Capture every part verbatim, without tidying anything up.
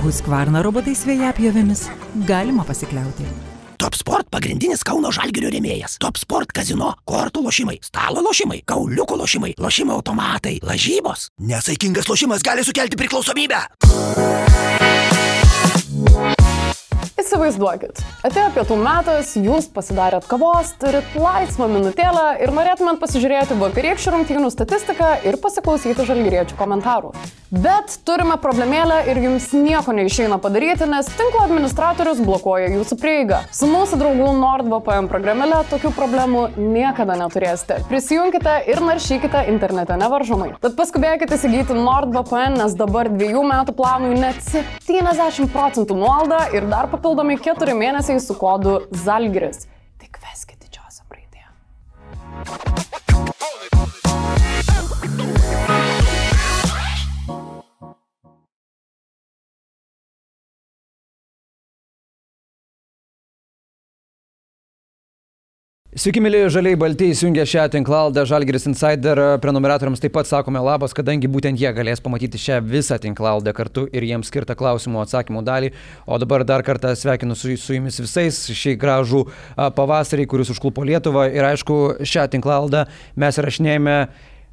Husqvarna robotais vėjapjovėmis galima pasikliauti. Top Sport pagrindinis Kauno Žalgirio rėmėjas. Top Sport kazino, kortų lošimai, stalo lošimai, kauliukų lošimai, lošimo automatai, lažybos. Nesaikingas lošimas gali sukelti priklausomybę. Įsivaizduokit, atėjo pietų metas, jūs pasidarėt kavos, turit laisvą minutėlę ir norėtumėt pasižiūrėti vakarykščių rungtynių statistiką ir pasiklausyti žalgiriečių komentarų. Bet turime problemėlę ir jums nieko neišeina padaryti, nes tinklo administratorius blokuoja jūsų prieigą. Su mūsų draugų NordVPN programėle tokių problemų niekada neturėsite. Prisijunkite ir naršykite internete nevaržomai. Tad paskubėkite įsigyti NordVPN, nes dabar dviejų metų planui net septyniasdešimt procentų nuolaidą ir dar papildomi keturi mėnesiai su kodu Žalgiris. Tik veskit didžiausią raidė. Sveiki, mėly žaliai balti, įsijungę šią tinklalaidę Žalgiris Insider. Prenumeratoriams taip pat sakome labas, kadangi būtent jie galės pamatyti šią visą tinklalaidę kartu ir jiems skirtą klausimų atsakymų dalį. O dabar dar kartą sveikinu su, su jumis visais šį gražų pavasarį, kuris užklupo Lietuvą. Ir aišku, šią tinklalaidę mes rašinėjame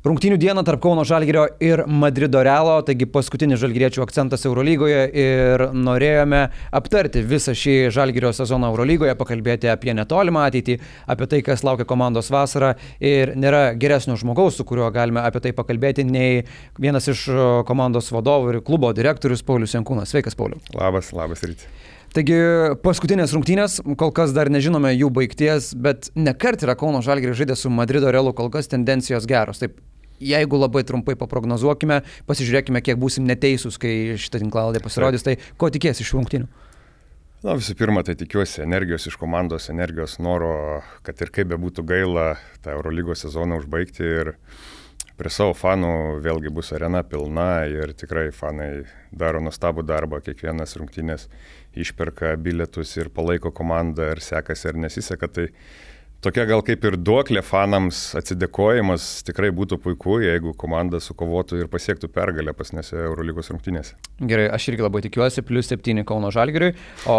rungtynių dieną tarp Kauno Žalgirio ir Madrido Realo, taigi paskutinis žalgiriečių akcentas Eurolygoje ir norėjome aptarti visą šį Žalgirio sezoną Eurolygoje, pakalbėti apie netolimą ateitį, apie tai, kas laukia komandos vasarą ir nėra geresnio žmogaus, su kuriuo galime apie tai pakalbėti, nei vienas iš komandos vadovų ir klubo direktorius Paulius Jankūnas. Sveikas, Pauliau. Labas, labas ryte. Taigi paskutinės rungtynės, kol kas dar nežinome jų baigties, bet nekart yra Kauno Žalgiris žaidė su Madrido Realu, kol kas tendencijos geros. Taip, jeigu labai trumpai paprognozuokime, pasižiūrėkime, kiek būsim neteisūs, kai šitą tinklalaidė pasirodys, tai ko tikės iš rungtynių? Na, visų pirma, tai tikiuosi energijos iš komandos, energijos noro, kad ir kaip bebūtų gaila tą Eurolygos sezoną užbaigti ir prie savo fanų vėlgi bus arena pilna ir tikrai fanai daro nuostabų darbą, kiekvienas rungtynės išperka bilietus ir palaiko komandą ir sekasi ar nesiseka, tai tokia gal kaip ir duoklė fanams atsidėkojimas tikrai būtų puiku, jeigu komanda sukovotų ir pasiektų pergalę pasnėse Eurolygos rungtynėse. Gerai, aš irgi labai tikiuosi, plius septyni Kauno Žalgiriui, o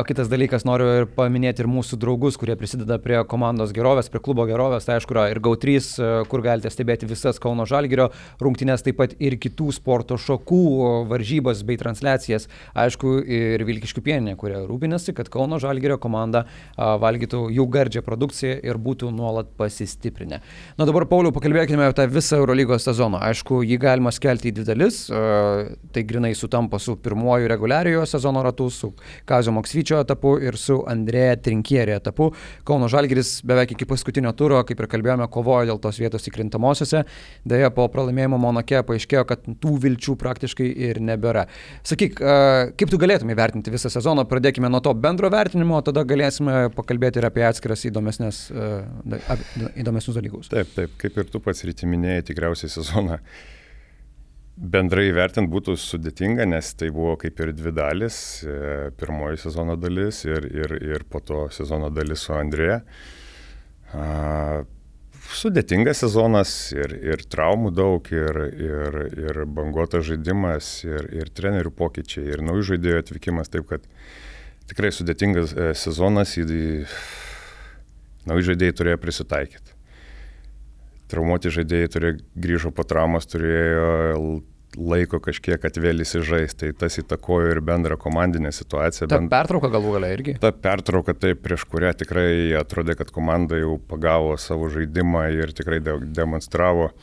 kitas dalykas noriu ir paminėti ir mūsų draugus, kurie prisideda prie komandos gerovės, prie klubo gerovės, tai aišku yra ir Gau trys, kur galite stebėti visas Kauno Žalgirio rungtynės, taip pat ir kitų sporto šakų varžybas bei transliacijas, aišku ir Vilkiškių pieninė, kurie rūpinasi, kad Kauno Žalgirio komanda valgytų jų gardžią produkciją ir būtų nuolat pasistiprinę. Na dabar, Pauliau, pakalbėkime apie tą visą Eurolygos sezoną. Aišku, jį galima skelti į dvi dalis, tai grinai sutampa su pirmuoju reguliariojo sezono ratu, su Kazio Maksvyčio etapu ir su Andrėja Trinkieri etapu. Kauno Žalgiris beveik iki paskutinio turo, kaip ir kalbėjome, kovojo dėl tos vietos įkrintamosiose. Deja, po pralaimėjimo Monake paaiškėjo, kad tų vilčių praktiškai ir nebėra. Sakyk, kaip tu galėtum įvertinti visą sezoną? Pradėkime nuo to bendro vertinimo, tada galėsime pakalbėti ir apie atskiras įdomesnės įdomesnius dalykus. Taip, taip, kaip ir tu pats ryti minėjai, tikriausiai sezoną bendrai vertint būtų sudėtinga, nes tai buvo kaip ir dvi dalis, pirmoji sezono dalis ir, ir, ir po to sezono dalis su Andrėja. Sudėtingas sezonas ir, ir traumų daug, ir, ir, ir banguotas žaidimas, ir, ir trenerių pokyčiai, ir naujų žaidėjų atvykimas, taip kad tikrai sudėtingas sezonas į nauji žaidėjai turėjo prisitaikyti. Traumuoti žaidėjai turėjo, grįžo po traumos, turėjo laiko kažkiek atvėl įsižaisti, tai tas įtakojo ir bendrą komandinę situaciją. Ta pertrauka galų galia irgi? Ta pertrauka, taip, prieš kurią tikrai atrodė, kad komanda jau pagavo savo žaidimą ir tikrai de- demonstravo,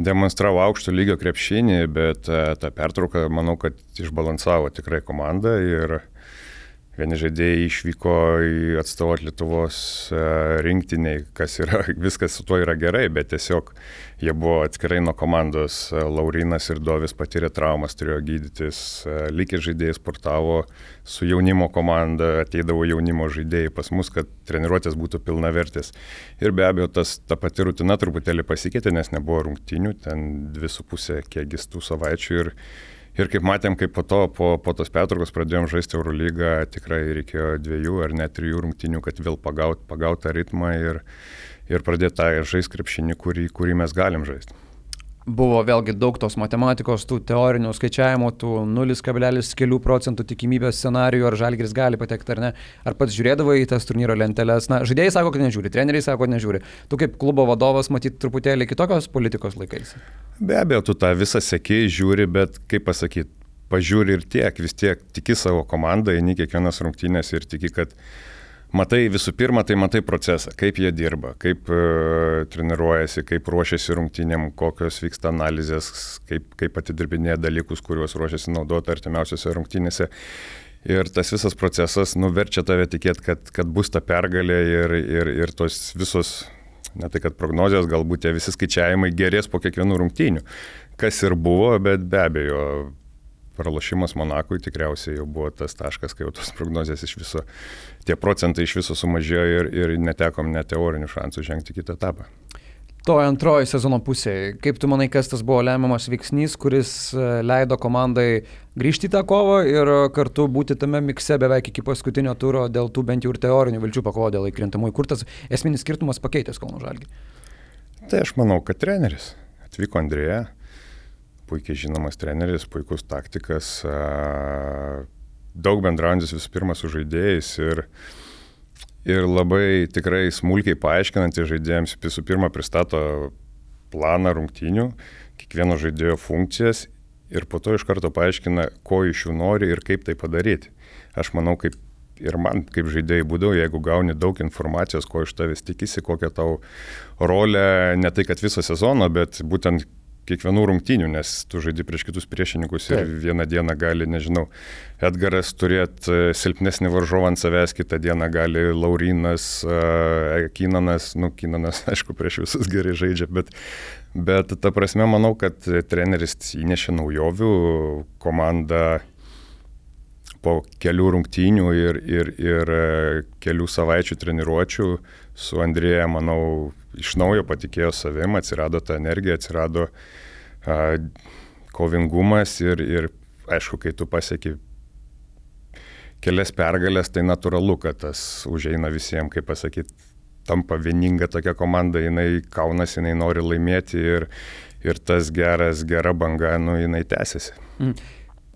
demonstravo aukšto lygio krepšinį, bet ta pertrauka, manau, kad išbalansavo tikrai komandą ir vieni žaidėjai išvyko į atstovot Lietuvos rinktiniai, kas yra, viskas su tuo yra gerai, bet tiesiog jie buvo atskirai nuo komandos. Laurinas ir Dovis patyrė traumas, turėjo gydytis, likę žaidėjai sportavo su jaunimo komanda, ateidavo jaunimo žaidėjai pas mus, kad treniruotės būtų pilnavertės. Ir be abejo, tas, ta pati rutina truputėlį pasikeitė, nes nebuvo rungtynių, ten dvi su pusė kiekis tų savaičių ir Ir kaip matėm, kaip po to, po, po tos pertraukos pradėjom žaisti Eurolygą, tikrai reikėjo dviejų ar net trijų rungtynių, kad vėl pagaut, pagaut tą ritmą ir, ir pradėti tą žaisti krepšinį, kurį, kurį mes galim žaisti. buvo vėlgi daug tos matematikos, tų teorinių skaičiavimų, tų nulis kablelis kelių procentų tikimybės scenarijų, ar Žalgiris gali patekti ar ne. Ar pats žiūrėdavai į tas turnyro lenteles? Na, žaidėjai sako, kad nežiūri, treneriai sako, kad nežiūri. Tu kaip klubo vadovas matyt truputėlį kitokios politikos laikais. Be abejo, tu tą visą sekėjai žiūri, bet kaip pasakyti, pažiūri ir tiek, vis tiek tiki savo komandą, eini kiekvienas rungtynės ir tiki, kad matai visų pirma, tai matai procesą, kaip jie dirba, kaip uh, treniruojasi, kaip ruošiasi rungtynėm, kokios vyksta analizės, kaip, kaip atidirbinėja dalykus, kuriuos ruošiasi naudoti artimiausiose rungtynėse. Ir tas visas procesas nuverčia tave tikėti, kad, kad bus ta pergalė ir, ir, ir tos visos, ne tai kad prognozijos, galbūt tie visi skaičiavimai gerės po kiekvienų rungtynių. Kas ir buvo, bet be abejo, pralošimas Monakui tikriausiai jau buvo tas taškas, kai jau tos prognozijas iš viso, tie procentai iš viso sumažėjo ir, ir netekom net teorinių šansų žengti kitą etapą. To antroji sezono pusė. Kaip tu manai, kas tas buvo lemiamas veiksnys, kuris leido komandai grįžti į tą kovą ir kartu būti tame mikse beveik iki paskutinio turo dėl tų bent jau ir teorinių vilčių pakovo dėl įkrintamųjų? Kur tas esminis skirtumas pakeitęs Kauno Žalgirį? Tai aš manau, kad treneris. Atvyko Andrėja. Puikiai žinomas treneris, puikus taktikas, daug bendraujantis visų pirma su žaidėjais ir, ir labai tikrai smulkiai paaiškinantys žaidėjams, visų pirma pristato planą rungtynių, kiekvieno žaidėjo funkcijas ir po to iš karto paaiškina, ko iš jų nori ir kaip tai padaryti. Aš manau, kaip ir man kaip žaidėjai būdavo, jeigu gauni daug informacijos, ko iš tavęs tikisi, kokią tau rolę, ne tai kad viso sezono, bet būtent kiekvienų rungtynių, nes tu žaidi prieš kitus priešininkus ir Taip. Vieną dieną gali, nežinau, Edgaras turėti silpnesnį varžovą ant savęs, kitą dieną gali Laurinas, Kinanas, nu, Kinanas, aišku, prieš visus gerai žaidžia, bet, bet ta prasme, manau, kad treneris įnešė naujovių, komanda po kelių rungtynių ir, ir, ir kelių savaičių treniruočių su Andrėja, manau, iš naujo patikėjo savim, atsirado ta energija, atsirado a, kovingumas ir, ir aišku, kai tu pasieki kelias pergalės, tai natūralu, kad tas užeina visiems, kaip pasakyti, tampa vieninga tokia komanda, jinai kaunasi, jinai nori laimėti ir, ir tas geras, gera banga, nu, jinai tęsiasi. Mm.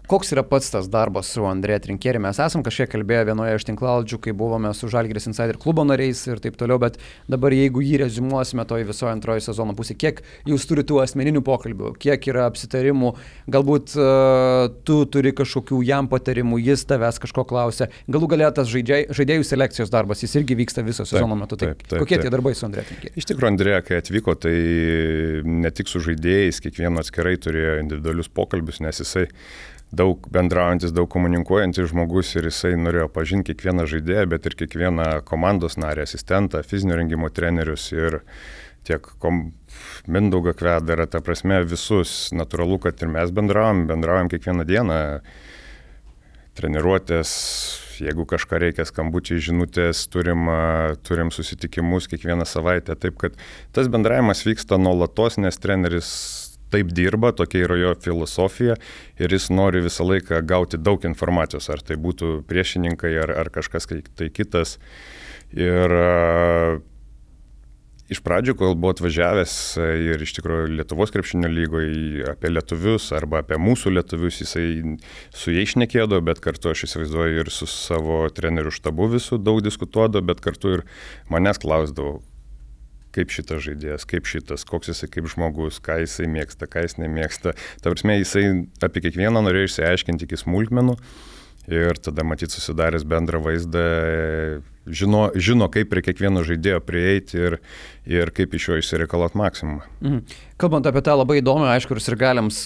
Koks yra pats tas darbas su Andrėja Trinkieri? Mes esam kažkiek kalbėję vienoje iš tinklalaidžių, kai buvome su Žalgiris Insider klubo nariais ir taip toliau, bet dabar jeigu jį reziumuosime toj visoje antroji sezono pusė, kiek jūs turite tų asmeninių pokalbių, kiek yra apsitarimų, galbūt uh, tu turi kažkokių jam patarimų, jis tavęs kažko klausia, galų galia tas žaidėjų, žaidėjų selekcijos darbas, jis irgi vyksta viso sezono taip, metu. Taip, taip, kokie taip. Tie darbai su Andrėja Trinkieri? Iš tikrųjų, Andrėja, kai atvyko, tai ne tik su žaidėjais, kiekvieno atskirai turėjo individualius pokalbius, nes jisai daug bendraujantis, daug komunikuojantis žmogus ir jisai norėjo pažinti kiekvieną žaidėją, bet ir kiekvieną komandos narį, asistentą, fizinio rengimo trenerius ir tiek kom... Mindaugą Kvedarą, ta prasme visus. Natūralu, kad ir mes bendraujam, bendraujam kiekvieną dieną. Treniruotės, jeigu kažką reikia, skambučiai, žinutės, turim, turim susitikimus kiekvieną savaitę. Taip, kad tas bendravimas vyksta nuolatos, nes treneris taip dirba, tokia yra jo filosofija ir jis nori visą laiką gauti daug informacijos, ar tai būtų priešininkai, ar, ar kažkas tai kitas. Ir uh, iš pradžių, kol buvo atvažiavęs ir iš tikrųjų Lietuvos krepšinio lygoje apie lietuvius arba apie mūsų lietuvius, jisai su jais šnekėdavo, bet kartu aš įsivaizduoju ir su savo trenerių štabu visų daug diskutuodavo, bet kartu ir manęs klausdavo, kaip šitas žaidėjas, kaip šitas, koks jisai kaip žmogus, ką jisai mėgsta, ką jis nemėgsta. Ta prasme, jisai apie kiekvieną norėjo išsiaiškinti iki smulkmenų ir tada matyt susidaręs bendrą vaizdą, žino, žino kaip prie kiekvieno žaidėjo prieiti ir, ir kaip iš jo išsireikalot maksimumą. Mhm. Kalbant apie tą labai įdomią, aišku, ir sirgaliams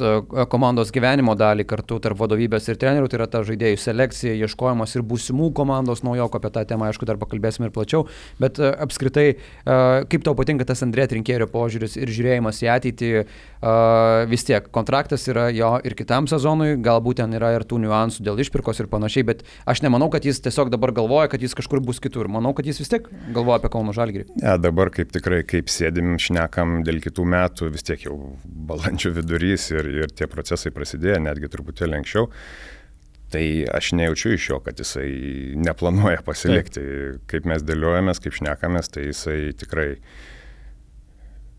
komandos gyvenimo dalį kartu tarp vadovybės ir trenerių, tai yra ta žaidėjų selekcija, ieškojimas ir būsimų komandos naujoko, apie tą temą, aišku, dar pakalbėsime ir plačiau, bet apskritai, kaip tau patinka tas Andrėja Trinkierio požiūris ir žiūrėjimas į ateitį, vis tiek kontraktas yra jo ir kitam sezonui, galbūt ten yra ir tų niuansų dėl išpirkos ir panašiai, bet aš nemanau, kad jis tiesiog dabar galvoja, kad jis kažkur bus kitur. Manau, kad jis vis tiek galvoja apie Kauno Žalgirį. Ja, dabar kaip tikrai, kaip sėdim, šnekam dėl kitų metų, vis tiek jau balandžio vidurys ir, ir tie procesai prasidėjo, netgi truputėlį anksčiau. Tai aš nejaučiu iš jo, kad jisai neplanuoja pasilikti. Taip. Kaip mes dėliojamės, kaip šnekamės, tai jisai tikrai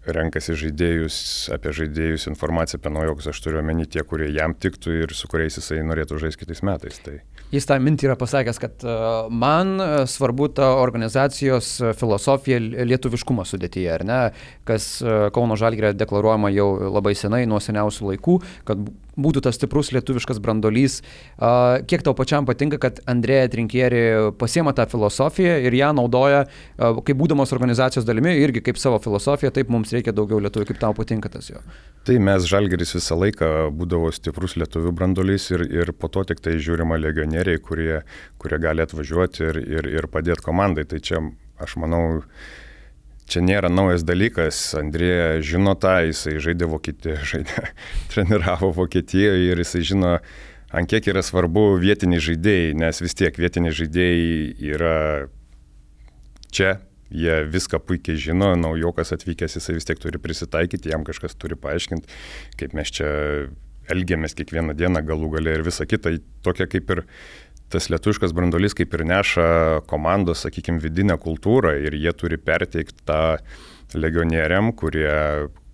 renkasi žaidėjus, apie žaidėjus informaciją apie naujokus, aš turiu omeny tie, kurie jam tiktų ir su kuriais jisai norėtų žaisti kitais metais. Tai... Jis tą mintį yra pasakęs, kad uh, man svarbu ta organizacijos filosofija lietuviškumo sudėtyje, ar ne, kas uh, Kauno Žalgiryje deklaruojama jau labai senai, nuo seniausių laikų, kad būtų tas stiprus lietuviškas brandolys. Uh, kiek tau pačiam patinka, kad Andrėja Trinkieri pasiema tą filosofiją ir ją naudoja, uh, kaip būdamos organizacijos dalimi, irgi kaip savo filosofiją, taip mums reikia daugiau lietuvių, kaip tau patinka tas jo? Tai mes Žalgiris visą laiką būdavo stiprus lietuvių brandolys ir, ir po to tik tai žiūrima legionieriai, kurie, kurie gali atvažiuoti ir, ir, ir padėti komandai. Tai čia, aš manau, čia nėra naujas dalykas. Andrėja žino tą, jisai žaidė Vokietijoje, žaidė, treniravo Vokietijoje ir jisai žino, ant kiek yra svarbu vietiniai žaidėjai, nes vis tiek vietiniai žaidėjai yra čia. Jie viską puikiai žino, naujokas atvykęs, jisai vis tiek turi prisitaikyti, jam kažkas turi paaiškinti, kaip mes čia elgiamės kiekvieną dieną galų gale ir visa kita. Tokia kaip ir tas lietuviškas brandolys kaip ir neša komandos, sakykime, vidinę kultūrą ir jie turi perteikti tą legionieriam, kurie,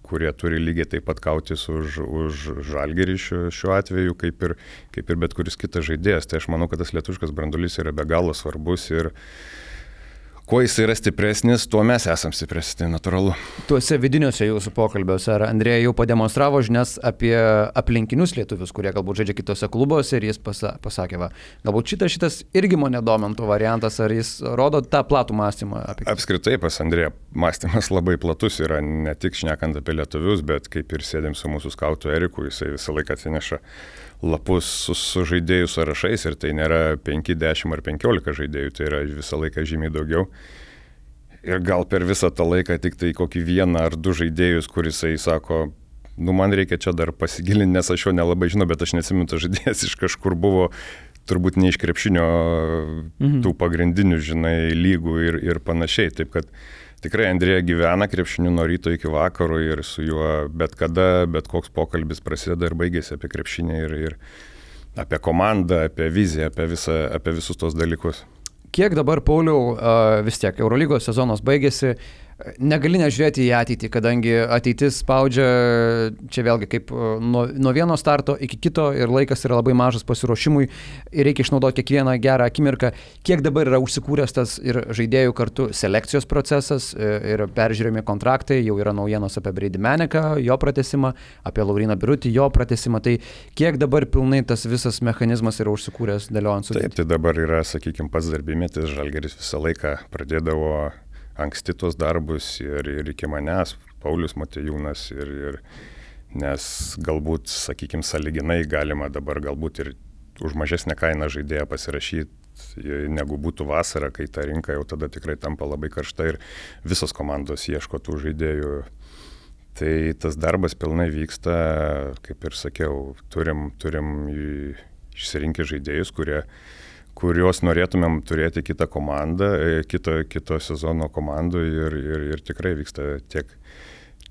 kurie turi lygiai taip pat kautis už, už Žalgirį šiuo, šiuo atveju, kaip ir, kaip ir bet kuris kitas žaidėjas. Tai aš manau, kad tas lietuviškas brandolys yra be galo svarbus ir kuo jis yra stipresnis, tuo mes esam stipresnis, tai natūralu. Tuose vidiniuose jūsų pokalbiuose, ar Andrėja jau pademonstravo žinias apie aplinkinius lietuvius, kurie galbūt žaidžia kitose klubuose ir jis pasa, pasakė, va, galbūt šitas, šitas irgi mane domintų variantas, ar jis rodo tą platų mąstymą? Apie... Apskritai pas Andrėją mąstymas labai platus yra, ne tik šnekant apie lietuvius, bet kaip ir sėdėm su mūsų skautu Eriku, jisai visą laiką atsineša lapus su, su žaidėjų sąrašais ir tai nėra penki, dešimt ar penkiolika žaidėjų, tai yra visą laiką žymiai daugiau. Ir gal per visą tą laiką tik tai kokį vieną ar du žaidėjus, kur jisai sako, nu man reikia čia dar pasigilinti, nes aš jo nelabai žinau, bet aš neatsimenu, tas žaidėjas iš kažkur buvo, turbūt ne iš krepšinio mhm. tų pagrindinių, žinai, lygų ir, ir panašiai. Taip kad tikrai Andrėja gyvena krepšiniu nuo ryto iki vakaro ir su juo bet kada, bet koks pokalbis prasideda ir baigėsi apie krepšinį ir, ir apie komandą, apie viziją, apie, visą, apie visus tos dalykus. Kiek dabar, Pauliau, vis tiek Eurolygos sezonas baigėsi, negali nežiūrėti į ateitį, kadangi ateitis spaudžia čia vėlgi kaip nuo, nuo vieno starto iki kito ir laikas yra labai mažas pasiruošimui ir reikia išnaudoti kiekvieną gerą akimirką. Kiek dabar yra užsikūręs tas ir žaidėjų kartu selekcijos procesas ir peržiūrėmi kontraktai, jau yra naujienos apie Brady Maneką, jo pratesimą, apie Lauryną Birutį, jo pratesimą, tai kiek dabar pilnai tas visas mechanizmas yra užsikūręs dėliojant sudėtį? Taip, tai dabar yra, sakykime, pats darbymetis, Žalgiris visą laiką pradėdavo anksti tos darbus ir, ir iki manęs, Paulius Motiejūnas, ir, ir, nes galbūt, sakykime, sąlyginai galima dabar galbūt ir už mažesnę kainą žaidėją pasirašyti, negu būtų vasara, kai ta rinka jau tada tikrai tampa labai karšta ir visos komandos ieško tų žaidėjų. Tai tas darbas pilnai vyksta, kaip ir sakiau, turim, turim išsirinkę žaidėjus, kurie kuriuos norėtumėm turėti kitą komandą, kito, kito sezono komandų ir, ir, ir tikrai vyksta tiek,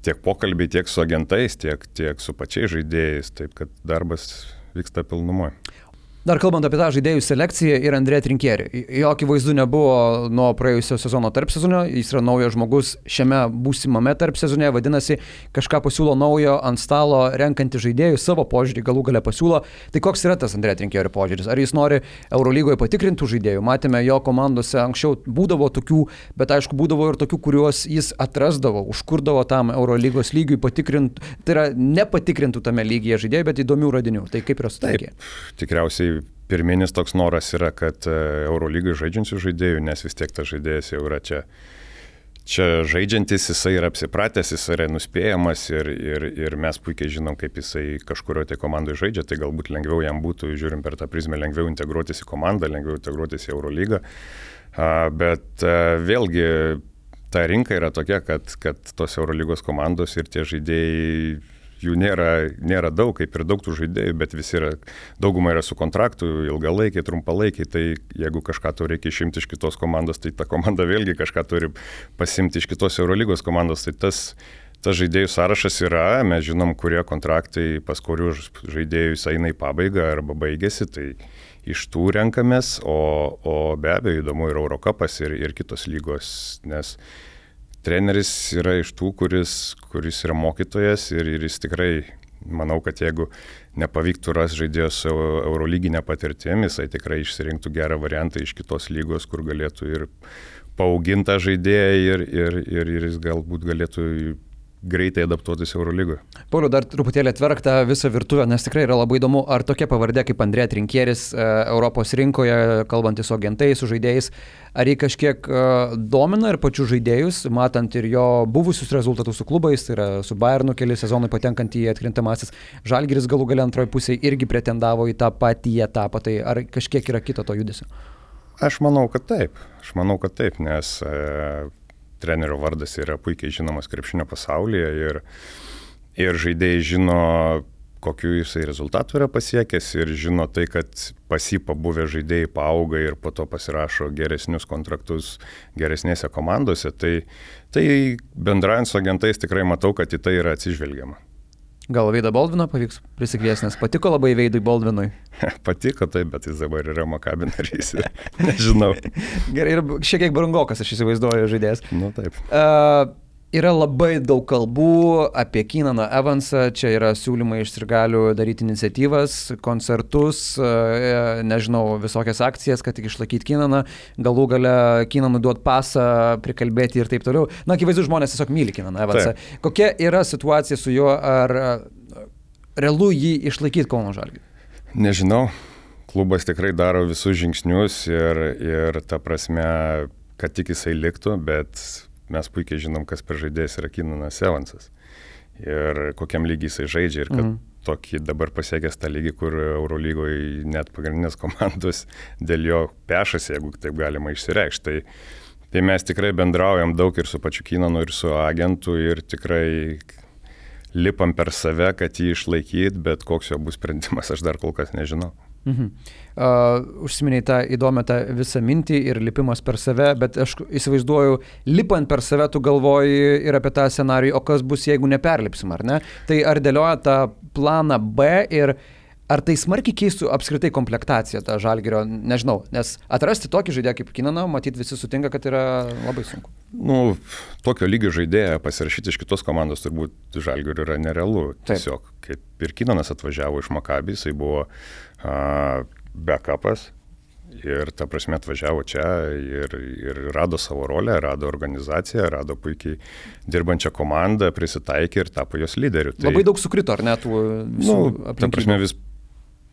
tiek pokalbiai, tiek su agentais, tiek, tiek su pačiais žaidėjais, taip kad darbas vyksta pilnumoje. Dar kalbant apie tą žaidėjų selekciją ir Andrėją Trinkieri. Jo akivaizdu nebuvo nuo praėjusio sezono tarpsezonio, jis yra naujas žmogus šiame būsimame tarpsezone, vadinasi, kažką pasiūlo naujo ant stalo renkantį žaidėjų, savo požiūrį galų gale pasiūlo. Tai koks yra tas Andrėjo Trinkieri požiūris? Ar jis nori Eurolygoje patikrintų žaidėjų? Matėme, jo komandose anksčiau būdavo tokių, bet aišku, būdavo ir tokių, kuriuos jis atrasdavo, užkurdavo tam Eurolygos lygiui patikrintų, tai yra nepatikrintų tame lygyje žaidėjų, bet įdomių radinių. Tai kaip yra sutaikė? Tikriausiai pirminis toks noras yra, kad Eurolygai žaidžiančių žaidėjų, nes vis tiek tas žaidėjas jau yra čia, čia žaidžiantis, jisai yra apsipratęs, jisai yra nuspėjamas ir, ir, ir mes puikiai žinom, kaip jisai kažkurio tai komandai žaidžia, tai galbūt lengviau jam būtų, žiūrim per tą prizmę, lengviau integruotis į komandą, lengviau integruotis į Eurolygą. Bet vėlgi ta rinka yra tokia, kad, kad tos Eurolygos komandos ir tie žaidėjai, jų nėra, nėra daug, kaip ir daug tų žaidėjų, bet visi yra, dauguma yra su kontraktu, ilgalaikiai, trumpalaikiai, tai jeigu kažką tau reikia išimti iš kitos komandos, tai ta komanda vėlgi kažką turi pasimti iš kitos Eurolygos komandos, tai tas, tas žaidėjų sąrašas yra, mes žinom, kurie kontraktai pas kurių žaidėjus eina į pabaigą arba baigėsi, tai iš tų renkamės, o, o be abejo įdomu ir Eurocupas ir, ir kitos lygos, nes treneris yra iš tų, kuris, kuris yra mokytojas ir, ir jis tikrai, manau, kad jeigu nepavyktų ras žaidėjos su eurolyginė patirtim, jisai tikrai išsirinktų gerą variantą iš kitos lygos, kur galėtų ir paauginta žaidėja ir, ir, ir, ir jis galbūt galėtų greitai adaptuotis Eurolygoje. Pauliau, dar truputėlį atverk tą visą virtuvę, nes tikrai yra labai įdomu, ar tokia pavardė kaip Andrė Trinkieris e, Europos rinkoje, kalbantis su agentais, su žaidėjais, ar jį kažkiek e, domina ir pačių žaidėjus, matant ir jo buvusius rezultatus su klubais, tai yra su Bayernu keli sezonai patenkant į atkrintamasis, Žalgiris galų gale antroji pusėje irgi pretendavo į tą patį etapą, tai ar kažkiek yra kito to judesio? Aš manau, kad taip. Aš manau, kad taip, nes e, trenerio vardas yra puikiai žinomas krepšinio pasaulyje ir, ir žaidėjai žino, kokiu jisai rezultatų yra pasiekęs ir žino tai, kad pas jį pabuvę žaidėjai paauga ir po to pasirašo geresnius kontraktus geresnėse komandose. Tai, tai bendraujant su agentais tikrai matau, kad į tai yra atsižvelgiama. Gal Veidą Boldviną pavyks prisikviesti, nes patiko labai Veidui Boldvinui? Patiko taip, bet jis dabar yra Maccabi narys. Nežinau. Gerai, ir šiek tiek brangokas, aš įsivaizduoju, žaidėjas. Nu taip. Uh, yra labai daug kalbų apie Keenaną Evansą, čia yra siūlymai iš sirgalių daryti iniciatyvas, koncertus, uh, nežinau, visokias akcijas, kad tik išlaikyti Keenaną, galų gale Keenanui duot pasą, prikalbėti ir taip toliau. Na, akivaizdu, žmonės tiesiog myli Keenaną Evansą. Taip. Kokia yra situacija su juo, ar uh, realu jį išlaikyti Kauno Žalgirį? Nežinau, klubas tikrai daro visus žingsnius ir, ir ta prasme, kad tik jisai liktų, bet mes puikiai žinom, kas per žaidėjas yra Keenanas Evansas ir kokiam lygiai jisai žaidžia ir kad mm. tokį dabar pasiekęs tą lygį, kur Eurolygoje net pagrindinės komandos dėl jo pešasi, jeigu taip galima išsireikšti. Tai, tai mes tikrai bendraujam daug ir su pačiu Keenanu, ir su agentu ir tikrai lipam per save, kad jį išlaikyt, bet koks jo bus sprendimas, aš dar kol kas nežinau. Mhm. Uh, užsiminiai tą įdomią tą visą mintį ir lipimas per save, bet aš įsivaizduoju, lipant per save tu galvoji ir apie tą scenarijų, o kas bus, jeigu neperlipsim, ar ne? Tai ar dėlioja tą planą B ir ar tai smarkiai keistų apskritai komplektaciją tą Žalgirio, nežinau, nes atrasti tokį žaidėją kaip Keenaną, matyt visi sutinka, kad yra labai sunku. Nu, tokio lygio žaidėją pasirašyti iš kitos komandos turbūt Žalgirio yra nerealu. Taip. Tiesiog, kaip ir Keenanas atvažiavo iš Maccabi, jisai buvo uh, backupas ir ta prasme atvažiavo čia ir, ir rado savo rolę, rado organizaciją, rado puikiai dirbančią komandą, prisitaikė ir tapo jos lyderiu. Tai, labai daug sukrito, ar ne, tų visų nu, aplinkybių? Ta prasme, vis,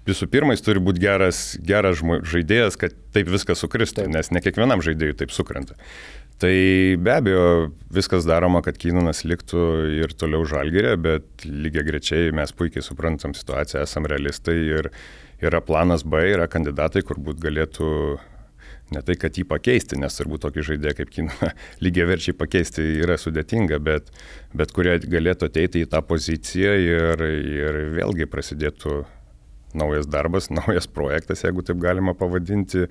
visų pirma, jis turi būti geras, geras žaidėjas, kad taip viskas sukristų, taip. Nes ne kiekvienam žaidėjui taip sukrenta. Tai be abejo, viskas daroma, kad Keenanas liktų ir toliau Žalgiryje, bet lygiai grečiai mes puikiai suprantam situaciją, esam realistai ir yra planas B, yra kandidatai, kur būt galėtų ne tai, kad jį pakeisti, nes turbūt tokį žaidėją kaip Keenaną lygiai verčiai pakeisti yra sudėtinga, bet, bet kurie galėtų ateiti į tą poziciją ir, ir vėlgi prasidėtų naujas darbas, naujas projektas, jeigu taip galima pavadinti,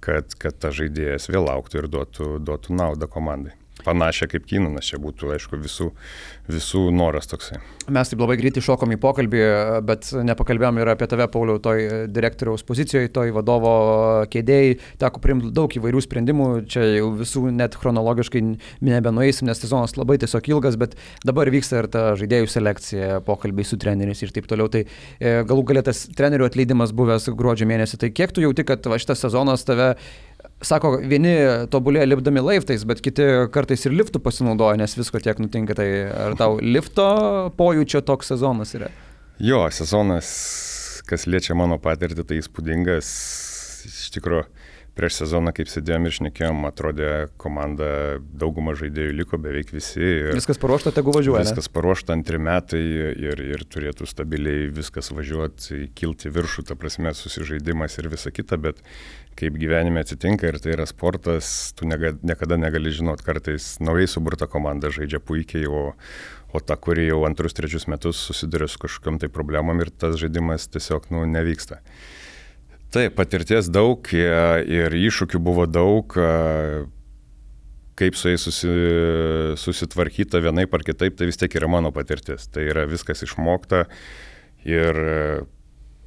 kad, kad ta žaidėjas vėl auktų ir duotų, duotų naudą komandai. Panašiai kaip Keenanas, čia būtų, aišku, visų, visų noras toksai. Mes taip labai greitai šokom į pokalbį, bet nepakalbėjom ir apie tave, Pauliau, toj direktoriaus pozicijoje, toj vadovo kėdėjai. Teko priimti daug įvairių sprendimų, čia jau visų net chronologiškai nebenueisim, nes sezonas labai tiesiog ilgas, bet dabar vyksta ir ta žaidėjų selekcija, pokalbiai su treneriais ir taip toliau. Tai e, galų galėtas trenerių atleidimas buvęs gruodžio mėnesį. Tai kiek tu jauti, kad va, šitas sezonas tave, sako, vieni tobulėja lipdami laiptais, bet kiti kartais ir liftų pasinaudoja, nes visko tiek nutinka. Tai ar tau lifto pojūčio toks sezonas yra? Jo, sezonas, kas liečia mano patirtį, tai įspūdingas. Iš tikrųjų, prieš sezoną, kaip sėdėjom ir šnekėjom, atrodė komanda, dauguma žaidėjų liko, beveik visi. Viskas paruošta, tegu važiuoja. Viskas paruošta antri metai ir, ir turėtų stabiliai viskas važiuoti, kilti viršų, ta prasme, susižaidimas ir visa kita, bet kaip gyvenime atsitinka ir tai yra sportas, tu nega, niekada negali žinot, kartais naujai suburta komanda žaidžia puikiai, o, o ta, kuri jau antrus, trečius metus susiduria su kažkokiam tai problemam ir tas žaidimas tiesiog nu, nevyksta. Taip, patirties daug ir iššūkių buvo daug, kaip su jais susi, susitvarkyta vienaip ar kitaip, tai vis tiek yra mano patirtis. Tai yra viskas išmokta ir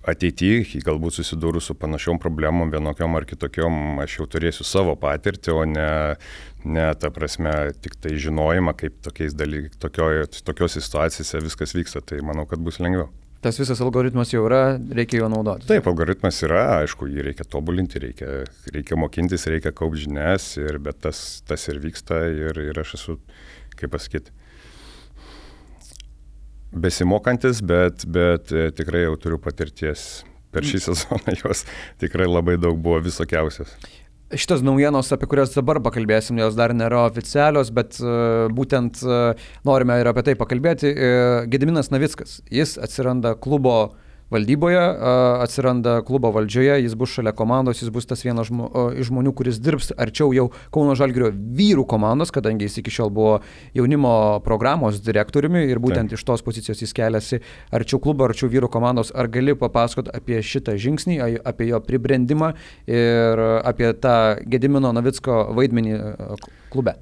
ateityje, galbūt susidūrus su panašiom problemom, vienokiom ar kitokiom, aš jau turėsiu savo patirtį, o ne, ne ta prasme, tik tai žinojimą, kaip tokiais dalyk, tokio, tokiose situacijose viskas vyksta, tai manau, kad bus lengviau. Tas visas algoritmas jau yra, reikia jo naudoti. Taip, algoritmas yra, aišku, jį reikia tobulinti, reikia, reikia mokintis, reikia kaupti žinias, ir, bet tas, tas ir vyksta ir, ir aš esu, kaip pasakyti, besimokantis, bet, bet tikrai jau turiu patirties. Per šį sezoną jos tikrai labai daug buvo visokiausias. Šitas naujienos, apie kurias dabar pakalbėsim, jos dar nėra oficialios, bet uh, būtent uh, norime ir apie tai pakalbėti. Uh, Gediminas Navickas, jis atsiranda klubo valdyboje, uh, atsiranda klubo valdžioje, jis bus šalia komandos, jis bus tas vienas žmo, uh, iš žmonių, kuris dirbs arčiau jau Kauno Žalgirio vyrų komandos, kadangi jis iki šiol buvo jaunimo programos direktoriumi ir būtent Taip. Iš tos pozicijos jis keliasi arčiau klubo, arčiau vyrų komandos. Ar gali papasakot apie šitą žingsnį, apie jo pribrendimą ir apie tą Gedimino Navicko vaidmenį klube?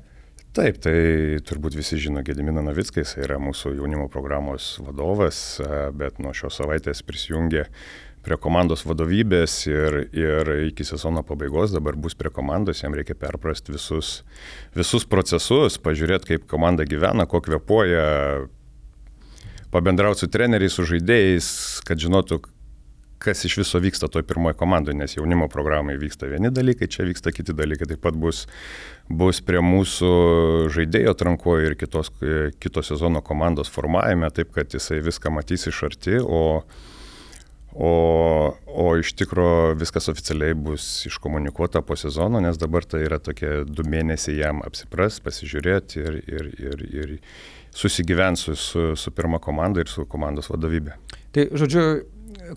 Taip, tai turbūt visi žino Gediminą Navicką, jis yra mūsų jaunimo programos vadovas, bet nuo šios savaitės prisijungė prie komandos vadovybės ir, ir iki sezono pabaigos dabar bus prie komandos, jam reikia perprasti visus, visus procesus, pažiūrėti, kaip komanda gyvena, ko kvėpuoja, pabendrauti su treneriais, su žaidėjais, kad žinotų, kas iš viso vyksta toj pirmoje komandoje, nes jaunimo programai vyksta vieni dalykai, čia vyksta kiti dalykai, taip pat bus, bus prie mūsų žaidėjo atrankoje ir kitos, kito sezono komandos formavime, taip kad jisai viską matys iš arti, o, o, o iš tikro viskas oficialiai bus iškomunikuota po sezono, nes dabar tai yra tokie du mėnesiai jam apsipras, pasižiūrėti ir, ir, ir, ir susigyventi su, su, su pirma komanda ir su komandos vadovybė. Tai žodžiu,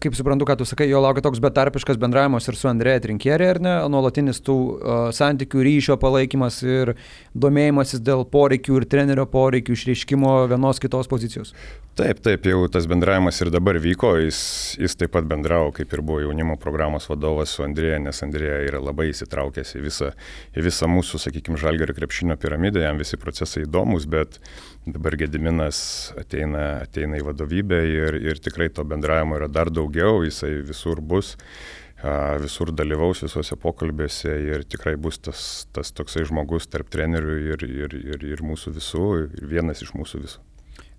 kaip suprantu, ką tu sakai, jo laukia toks betarpiškas bendravimas ir su Andrėja Trinkieri, ar ne, nuolatinis tų uh, santykių, ryšio palaikymas ir domėjimasis dėl poreikių ir trenerio poreikių išreiškimo vienos kitos pozicijos. Taip, taip, jau tas bendravimas ir dabar vyko, jis, jis taip pat bendravo, kaip ir buvo jaunimo programos vadovas su Andrėja, nes Andrėja yra labai įsitraukęs į visą, į visą mūsų, sakykime, Žalgirio krepšinio piramidę, jam visi procesai įdomus, bet dabar Gediminas ateina, ateina į vadovybę ir, ir tikrai to bendravimo yra dar daugiau, jisai visur bus, visur dalyvaus visuose pokalbėse ir tikrai bus tas, tas toksai žmogus tarp trenerių ir, ir, ir, ir mūsų visų, ir vienas iš mūsų visų.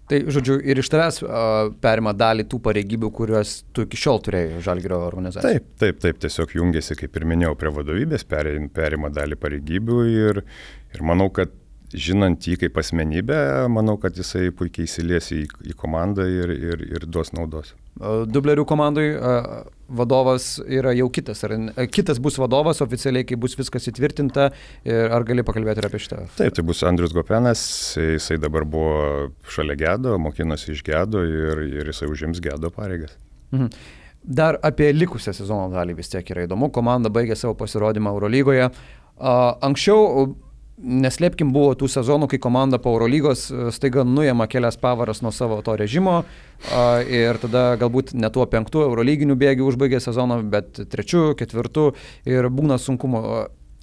Tai, žodžiu, ir iš tavęs uh, perima dalį tų pareigybių, kuriuos tu iki šiol turėjai Žalgirio organizacijoje. Taip, taip, taip, tiesiog jungiasi, kaip ir minėjau, prie vadovybės, perima dalį pareigybių ir, ir manau, kad žinant jį kaip asmenybę, manau, kad jisai puikiai įsilies į, į komandą ir, ir, ir duos naudos. Dublerių komandai vadovas yra jau kitas, ar kitas bus vadovas oficialiai, kai bus viskas įtvirtinta, ar gali pakalbėti ir apie šitą? Taip, tai bus Andrius Gopenas, jisai dabar buvo šalia Gedo, mokinosi iš Gedo ir, ir jisai užims Gedo pareigas. Mhm. Dar apie likusią sezono dalį vis tiek yra įdomu, komanda baigė savo pasirodymą Eurolygoje. Anksčiau, neslėpkim, buvo tų sezonų, kai komanda po Eurolygos staiga nuėma kelias pavaras nuo savo to režimo ir tada galbūt ne tuo penktų Eurolyginių bėgių užbaigė sezoną, bet trečių, ketvirtų ir būna sunkumo.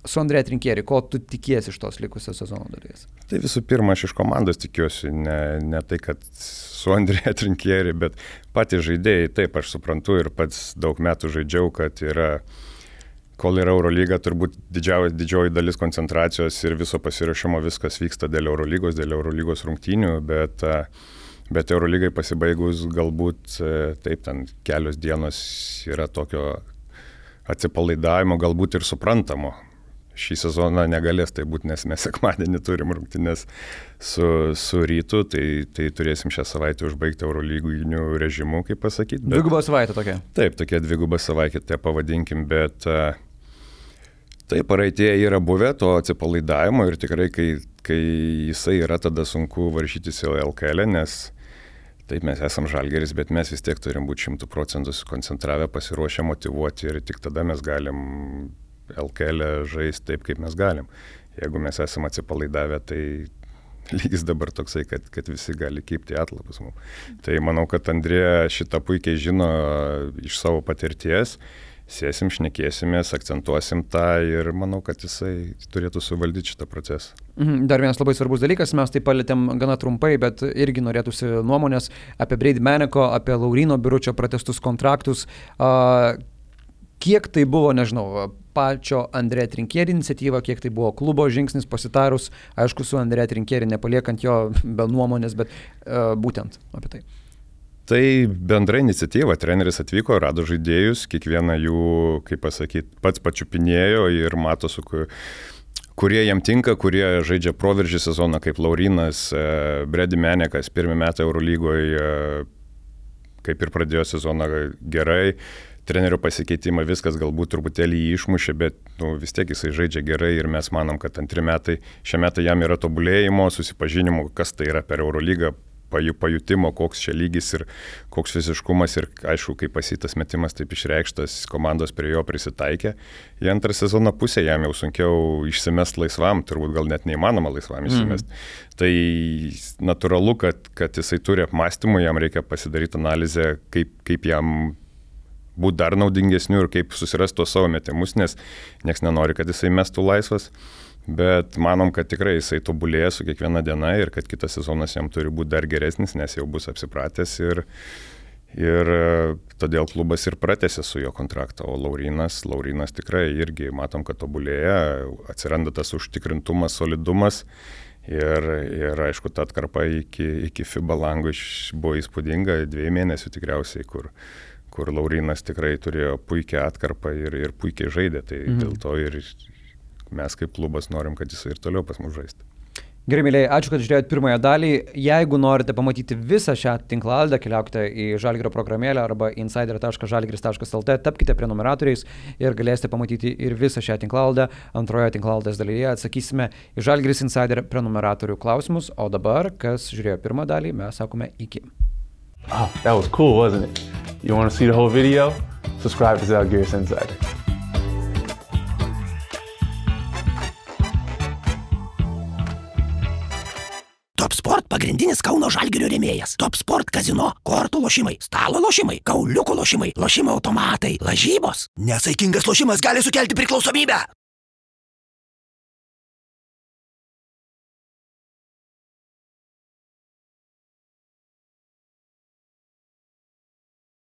Su Andrėja Trinkieri, ko tu tikiesi iš tos likusios sezono dalies? Tai visų pirma, aš iš komandos tikiuosi, ne, ne tai, kad su Andrėja Trinkieri, bet patys žaidėjai, taip, aš suprantu ir pats daug metų žaidžiau, kad yra kol yra Eurolyga, turbūt didžioji, didžioji dalis koncentracijos ir viso pasiruošimo viskas vyksta dėl Eurolygos, dėl Eurolygos rungtynių, bet, bet Eurolygai pasibaigus galbūt taip, ten kelios dienos yra tokio atsipalaidavimo, galbūt ir suprantamo. Šį sezoną negalės tai būti, nes mes sekmadienį turim rungtynes su, su Rytu, tai, tai turėsim šią savaitę užbaigti Eurolyginių režimų, kaip pasakyti. Bet... Dviguba savaitė tokia. Taip, tokia dviguba savaitė, tai pavadinkim, bet taip, praeityje yra buvę to atsipalaidavimo ir tikrai, kai, kai jisai yra, tada sunku varžytis į L K L, nes taip, mes esam Žalgiris, bet mes vis tiek turim būti šimtų procentų sukoncentravę, pasiruošę, motyvuoti ir tik tada mes galim L K L žaisti taip, kaip mes galim. Jeigu mes esame atsipalaidavę, tai lygis dabar toksai, kad, kad visi gali kibti atlapus mums. Tai manau, kad Andrėja šitą puikiai žino iš savo patirties. sėsim, šnekėsimės, akcentuosim tą ir manau, kad jisai turėtų suvaldyti šitą procesą. Dar vienas labai svarbus dalykas, mes tai palėtėm gana trumpai, bet irgi norėtųsi nuomonės apie Brady Maneko, apie Lauryno Biručio pratęstus kontraktus. Kiek tai buvo, nežinau, pačio Andrė Trinkieri iniciatyva, kiek tai buvo klubo žingsnis pasitarus, aišku, su Andrė Trinkieri nepaliekant jo be nuomonės, bet uh, būtent apie tai. Tai bendra iniciatyva, treneris atvyko, rado žaidėjus, kiekvieną jų, kaip pasakyti, pats pačiupinėjo ir mato, su, kurie jam tinka, kurie žaidžia proveržį sezoną, kaip Laurynas, Brady Manekas, pirmi metai Eurolygoje, kaip ir pradėjo sezoną gerai. Trenerio pasikeitimą viskas galbūt truputėlį jį išmušė, bet nu, vis tiek jisai žaidžia gerai ir mes manom, kad antri metai, šie metai jam yra tobulėjimo, susipažinimo, kas tai yra per Eurolygą, pajutimo, koks čia lygis ir koks fiziškumas ir aišku, kaip pasitas metimas taip išreikštas, komandos prie jo prisitaikė. Į antrą sezono pusę jam jau sunkiau išsimest laisvam, turbūt gal net neįmanoma laisvam išsimest. Mm. Tai natūralu, kad, kad jisai turi apmąstymų, jam reikia pasidaryti analizę, kaip, kaip jam būti dar naudingesniu ir kaip susirasti tuos savo metimus, nes nieks nenori, kad jisai mestų laisvas, bet manom, kad tikrai jisai tobulėja su kiekviena diena ir kad kitas sezonas jam turi būti dar geresnis, nes jau bus apsipratęs ir, ir todėl klubas ir pratęsė su jo kontraktą, o Laurynas, Laurynas tikrai irgi matom, kad tobulėja, atsiranda tas užtikrintumas, solidumas ir, ir aišku, ta atkarpa iki, iki FIBA lango buvo įspūdinga, dviejų mėnesių tikriausiai, kur kur Laurynas tikrai turėjo puikią atkarpą ir, ir puikiai žaidė, tai mhm. dėl to ir mes kaip klubas norim, kad jis ir toliau pas mus žaistų. Gerai, mėlyje, ačiū, kad žiūrėjote pirmąją dalį. Jeigu norite pamatyti visą šią tinklalaidę, keliaukite į Žalgirio programėlę arba insider taškas žalgiris taškas lt, tapkite prenumeratoriais ir galėsite pamatyti ir visą šią tinklalaidę. Antroje tinklalaidės dalyje atsakysime į Žalgiris Insider prenumeratorių klausimus, o dabar, kas žiūrėjo pirmą dalį, mes sakome iki. Oh, that was cool, wasn't it? You want to see the whole video? Subscribe to Žalgiris Insider. Top Sport pagrindinis Kauno Žalgirio rėmėjas. Top Sport kazino, kortų lošimai, stalo lošimai, kauliukų lošimai, lošimo automatai, lažybos. Nesaikingas lošimas gali sukelti priklausomybę.